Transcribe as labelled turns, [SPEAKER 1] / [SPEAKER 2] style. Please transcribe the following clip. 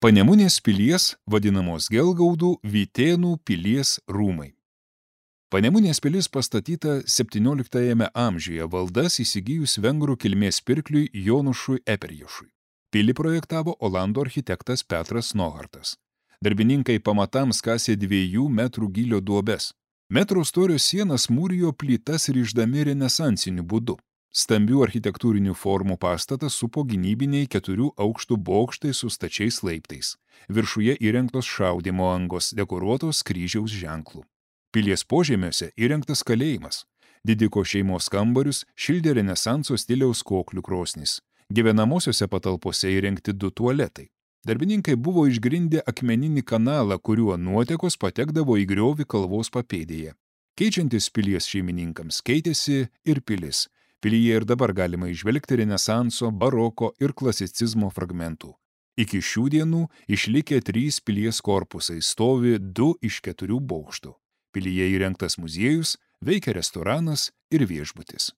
[SPEAKER 1] Panemunės pilies, vadinamos Gelgaudų Vytėnų pilies rūmai. Panemunės pilis pastatyta 17 amžiuje valdas įsigijus vengrų kilmės pirkliui Jonušui Eperješui. Pilį projektavo olandų architektas Petras Nohartas. Darbininkai pamatams kasė 2 metrų gylio duobes. Metro storio sienas mūrijo plytas ryždami renesansiniu būdu. Stambių architektūrinių formų pastatas supo gynybiniai 4 aukštų bokštai su stačiais laiptais. Viršuje įrengtos šaudymo angos, dekoruotos kryžiaus ženklų. Pilies požemiuose įrengtas kalėjimas. Didiko šeimos kambarius šildė renesanso stiliaus koklių krosnis. Gyvenamosiose patalpose įrengti 2 tualetai. Darbininkai buvo išgrindę akmeninį kanalą, kuriuo nuotekos patekdavo į griovį kalvos papėdėje. Keičiantis pilies šeimininkams keitėsi ir pilis. Pilyje ir dabar galima įžvelgti renesanso, baroko ir klasicizmo fragmentų. Iki šių dienų išlikę 3 pilies korpusai, stovi 2 iš 4 bokštų. Pilyje įrengtas muziejus, veikia restoranas ir viešbutis.